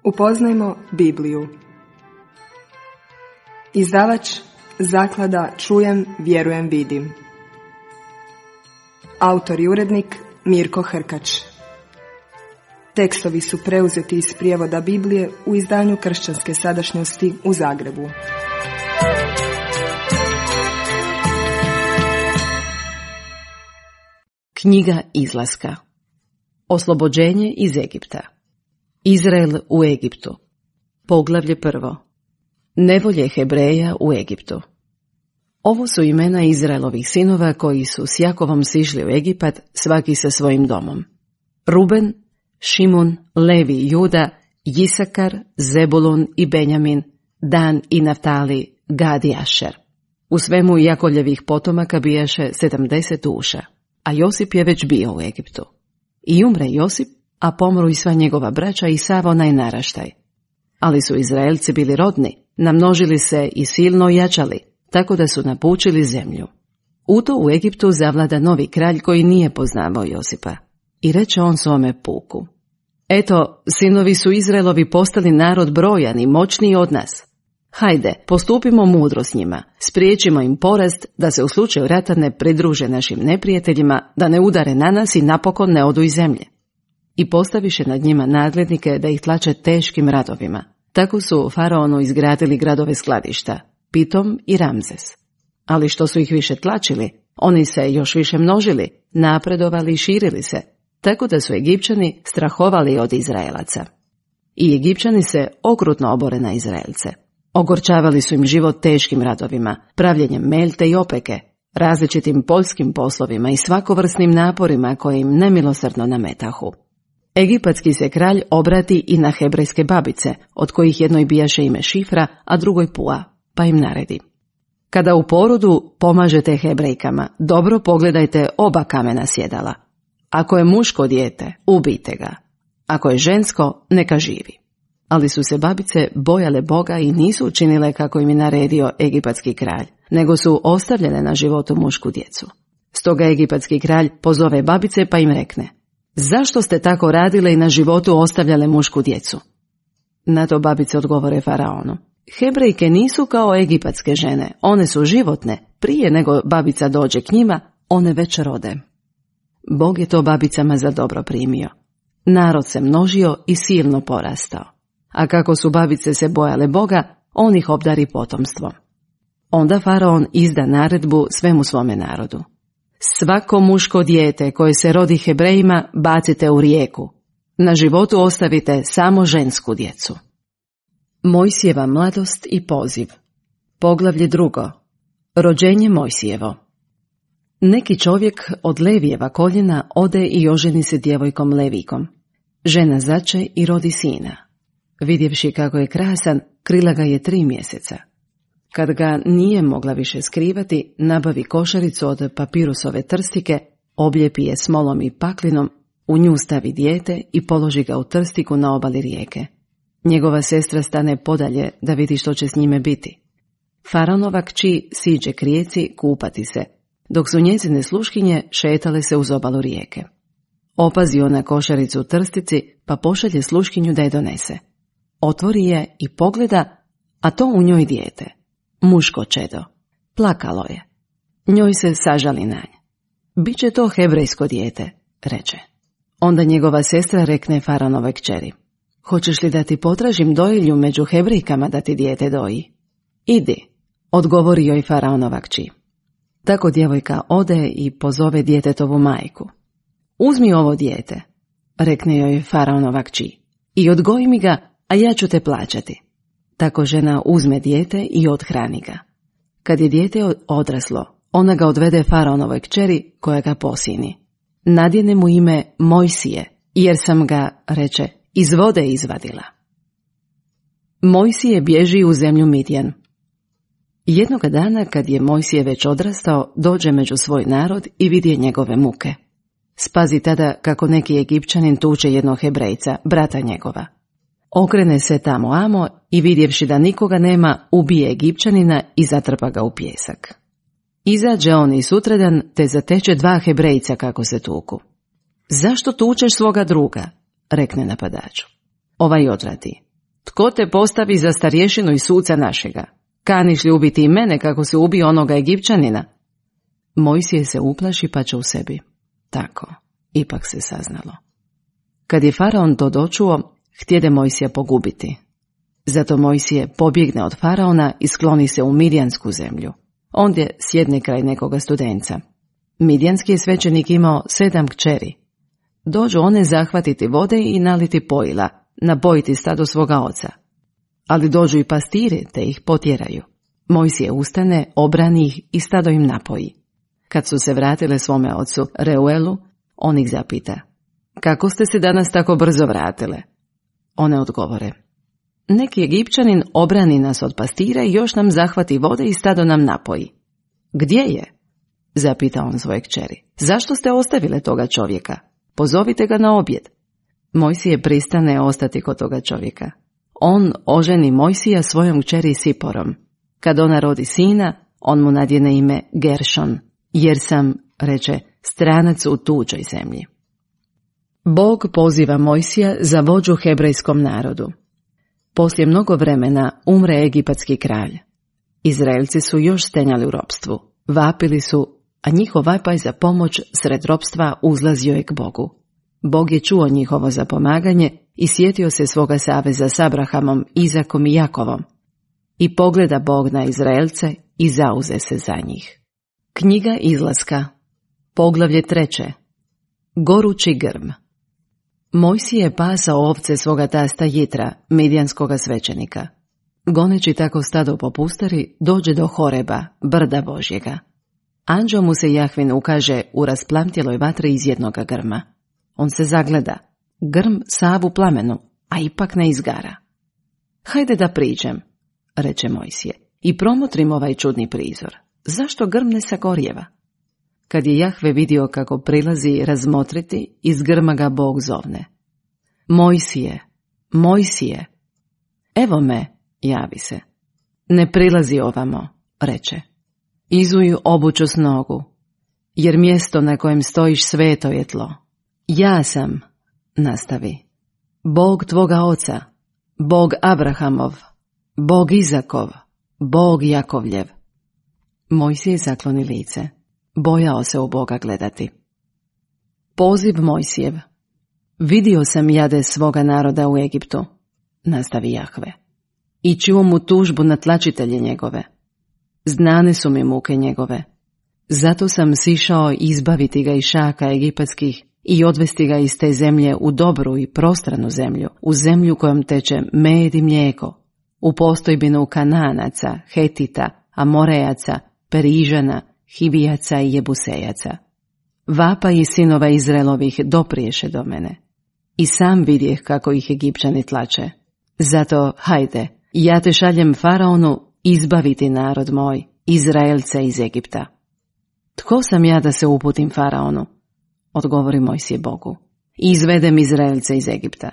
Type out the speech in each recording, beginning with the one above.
Upoznajmo Bibliju. Izdavač Zaklada Čujem, vjerujem, vidim. Autor i urednik Mirko Hrkač. Tekstovi su preuzeti iz prijevoda Biblije u izdanju Kršćanske sadašnjosti u Zagrebu. Knjiga Izlaska. Oslobođenje iz Egipta. Izrael u Egiptu. Poglavlje 1. Nevolje Hebreja u Egiptu. Ovo su imena Izraelovih sinova koji su s Jakovom sišli u Egipat, svaki sa svojim domom. Ruben, Šimun, Levi i Juda, Jisakar, Zebulun i Benjamin, Dan i Naftali, Gad i Ašer. U svemu Jakovljevih potomaka bijaše 70 duša, a Josip je već bio u Egiptu. I umre Josip, a pomru i sva njegova braća i sav onaj naraštaj. Ali su Izraelci bili rodni, namnožili se i silno jačali, tako da su napučili zemlju. U to u Egiptu zavlada novi kralj koji nije poznavao Josipa. I reče on svome puku: Eto, sinovi su Izraelovi postali narod brojan i moćniji od nas. Hajde, postupimo mudro s njima, spriječimo im porast, da se u slučaju rata ne pridruže našim neprijateljima, da ne udare na nas i napokon ne odu iz zemlje. I postaviše nad njima nadglednike da ih tlače teškim radovima. Tako su faraonu izgradili gradove skladišta, Pitom i Ramzes. Ali što su ih više tlačili, oni se još više množili, napredovali i širili se, tako da su Egipćani strahovali od Izraelaca. I Egipćani se okrutno obore na Izraelce. Ogorčavali su im život teškim radovima, pravljenjem melte i opeke, različitim poljskim poslovima i svakovrsnim naporima koje im nemilosrdno nametahu. Egipatski se kralj obrati i na hebrejske babice, od kojih jednoj bijaše ime Šifra, a drugoj Pua, pa im naredi: Kada u porodu pomažete Hebrejkama, dobro pogledajte oba kamena sjedala. Ako je muško dijete, ubijte ga. Ako je žensko, neka živi. Ali su se babice bojale Boga i nisu učinile kako im je naredio egipatski kralj, nego su ostavljene na životu mušku djecu. Stoga egipatski kralj pozove babice pa im rekne: Zašto ste tako radile i na životu ostavljale mušku djecu? Na to babice odgovore faraonu: Hebrejke nisu kao egipatske žene, one su životne, prije nego babica dođe k njima, one već rode. Bog je to babicama za dobro primio. Narod se množio i silno porastao. A kako su babice se bojale Boga, on ih obdari potomstvom. Onda faraon izda naredbu svemu svome narodu: Svako muško dijete koje se rodi Hebrejima bacite u rijeku. Na životu ostavite samo žensku djecu. Mojsijeva mladost i poziv. Poglavlje 2. Rođenje Mojsijevo. Neki čovjek od Levijeva koljena ode i oženi se djevojkom Levijkom. Žena zače i rodi sina. Vidjevši kako je krasan, krila ga je 3 mjeseca. Kad ga nije mogla više skrivati, nabavi košaricu od papirusove trstike, obljepi je smolom i paklinom, u nju stavi dijete i položi ga u trstiku na obali rijeke. Njegova sestra stane podalje da vidi što će s njime biti. Faraonova kći siđe k rijeci kupati se, dok su njezine sluškinje šetale se uz obalu rijeke. Opazi ona košaricu u trstici, pa pošalje sluškinju da je donese. Otvori je i pogleda, a to u njoj dijete, muško čedo. Plakalo je. Njoj se sažali na nje. Biće to hebrejsko dijete, reče. Onda njegova sestra rekne faraonovoj kćeri: Hoćeš li da ti potražim dojilju među Hebrejkama da ti dijete doji? Idi, odgovori joj faraonova kći. Tako djevojka ode i pozove djetetovu majku. Uzmi ovo dijete, rekne joj faraonova kći, i odgoji mi ga, a ja ću te plaćati. Tako žena uzme dijete i othrani ga. Kad je dijete odraslo, ona ga odvede faraonovoj kćeri koja ga posini. Nadjene mu ime Mojsije, jer sam ga, reče, iz vode izvadila. Mojsije bježi u zemlju Midjan. Jednoga dana, kad je Mojsije već odrastao, dođe među svoj narod i vidje njegove muke. Spazi tada kako neki Egipćanin tuče jednog Hebrejca, brata njegova. Okrene se tamo amo i vidjevši da nikoga nema, ubije Egipćanina i zatrpa ga u pijesak. Izađe on i sutradan te zateče 2 Hebrejca kako se tuku. Zašto tučeš svoga druga? Rekne napadaču. Ovaj odvrati: Tko te postavi za starješinu i suca našega? Kaniš li ubiti i mene kako se ubio onoga Egipćanina? Mojsije se uplaši pa će u sebi. Tako, ipak se saznalo. Kad je faraon to dočuo, htjede Mojsija pogubiti. Zato Mojsije pobjegne od faraona i skloni se u Midjansku zemlju. Ondje sjedne kraj nekoga studenca. Midjanski je svećenik imao 7 kćeri. Dođu one zahvatiti vode i naliti pojila, napojiti stado svoga oca. Ali dođu i pastiri te ih potjeraju. Mojsije ustane, obrani ih i stado im napoji. Kad su se vratile svome ocu Reuelu, on ih zapita: kako ste se danas tako brzo vratile? One odgovore: neki Egipćanin obrani nas od pastira i još nam zahvati vode i stado nam napoji. Gdje je? Zapita on svoje kćeri. Zašto ste ostavile toga čovjeka? Pozovite ga na objed. Mojsije pristane ostati kod toga čovjeka. On oženi Mojsija svojom kćeri Siporom. Kad ona rodi sina, on mu nadjene ime Geršon, jer sam, reče, stranac u tuđoj zemlji. Bog poziva Mojsija za vođu hebrejskom narodu. Poslije mnogo vremena umre egipatski kralj. Izraelci su još stenjali u ropstvu, vapili su, a njihov vapaj za pomoć sred ropstva uzlazio je k Bogu. Bog je čuo njihovo zapomaganje i sjetio se svoga saveza s Abrahamom, Izakom i Jakovom. I pogleda Bog na Izraelce i zauze se za njih. Knjiga Izlaska, poglavlje 3. Gorući grm. Mojsije je pasao ovce svoga tasta Jitra, midjanskoga svećenika. Goneći tako stado po pustari, dođe do Horeba, brda Božjega. Anđeo mu se Jahvin ukaže u rasplamtjeloj vatri iz jednoga grma. On se zagleda, grm sav u plamenu, a ipak ne izgara. Hajde da priđem, reče Mojsije, i promotrim ovaj čudni prizor. Zašto grm ne sagorjeva? Kad je Jahve vidio kako prilazi razmotriti, iz grma ga Bog zovne. Mojsije, Mojsije. Evo me, javi se. Ne prilazi ovamo, reče. Izuj obuću s nogu, jer mjesto na kojem stojiš sveto je tlo. Ja sam, nastavi, Bog tvoga oca, Bog Abrahamov, Bog Izakov, Bog Jakovljev. Mojsije zakloni lice. Bojao se u Boga gledati. Poziv Mojsijev. Vidio sam jade svoga naroda u Egiptu, nastavi Jahve, i čuo mu tužbu na tlačitelje njegove. Znane su mi muke njegove. Zato sam sišao izbaviti ga iz šaka egipatskih i odvesti ga iz te zemlje u dobru i prostranu zemlju, u zemlju kojom teče med i mlijeko, u postojbinu Kanaanaca, Hetita, Amorejaca, Perižana, Hivijaca i Jebusejaca. Vapa i sinova Izraelovih dopriješe do mene. I sam vidjeh kako ih Egipćani tlače. Zato, hajde, ja te šaljem faraonu izbaviti narod moj, Izraelce iz Egipta. Tko sam ja da se uputim faraonu? Odgovori Mojsije Bogu. I izvedem Izraelce iz Egipta.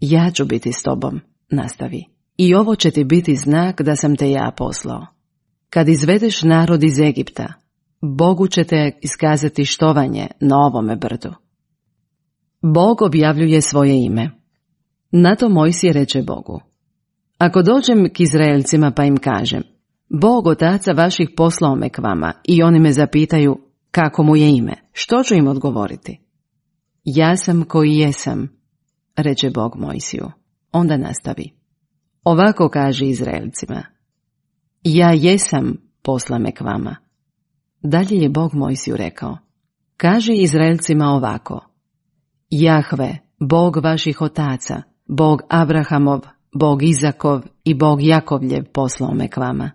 Ja ću biti s tobom, nastavi. I ovo će ti biti znak da sam te ja poslao. Kad izvedeš narod iz Egipta, Bogu će te iskazati štovanje na ovome brdu. Bog objavljuje svoje ime. Na to Mojsije reče Bogu: ako dođem k Izraelcima pa im kažem, Bog otaca vaših poslao me k vama, i oni me zapitaju kako mu je ime, što ću im odgovoriti? Ja sam koji jesam, reče Bog Mojsiju. Onda nastavi. Ovako kaže Izraelcima: ja jesam posla me k vama. Dalje je Bog Mojsiju rekao: kaži Izraelcima ovako: Jahve, Bog vaših otaca, Bog Abrahamov, Bog Izakov i Bog Jakovljev poslao me k vama.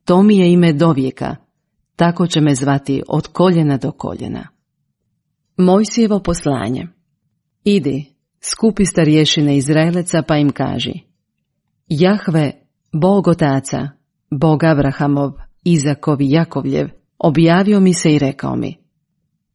To mi je ime dovijeka, tako će me zvati od koljena do koljena. Mojsijevo poslanje. Idi, skupi starješine Izraeleca pa im kaži: Jahve, Bog otaca, Bog Abrahamov, Izakov i Jakovljev, objavio mi se i rekao mi: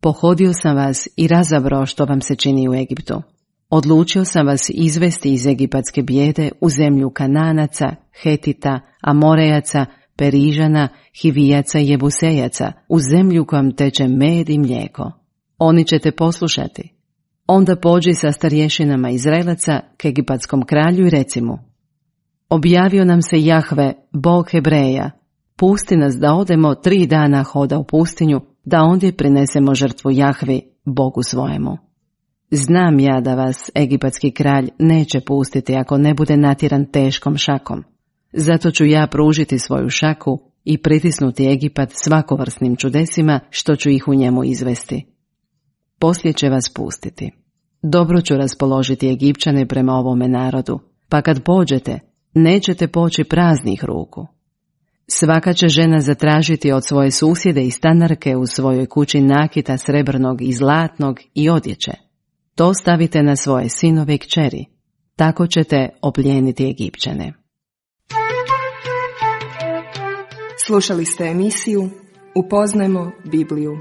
pohodio sam vas i razabrao što vam se čini u Egiptu. Odlučio sam vas izvesti iz egipatske bijede u zemlju Kananaca, Hetita, Amorejaca, Perižana, Hivijaca i Jebusejaca, u zemlju kojom teče med i mlijeko. Oni će te poslušati. Onda pođi sa starješinama Izraelaca k egipatskom kralju i reci mu: objavio nam se Jahve, Bog Hebreja, pusti nas da odemo 3 dana hoda u pustinju, da ondje prinesemo žrtvu Jahvi, Bogu svojemu. Znam ja da vas egipatski kralj neće pustiti ako ne bude natjeran teškom šakom. Zato ću ja pružiti svoju šaku i pritisnuti Egipat svakovrsnim čudesima što ću ih u njemu izvesti. Poslije će vas pustiti. Dobro ću raspoložiti Egipćane prema ovome narodu, pa kad pođete, nećete poći praznih ruku. Svaka će žena zatražiti od svoje susjede i stanarke u svojoj kući nakita srebrnog i zlatnog i odjeće. To stavite na svoje sinove i kćeri. Tako ćete oplijeniti Egipćane. Slušali ste emisiju Upoznajmo Bibliju.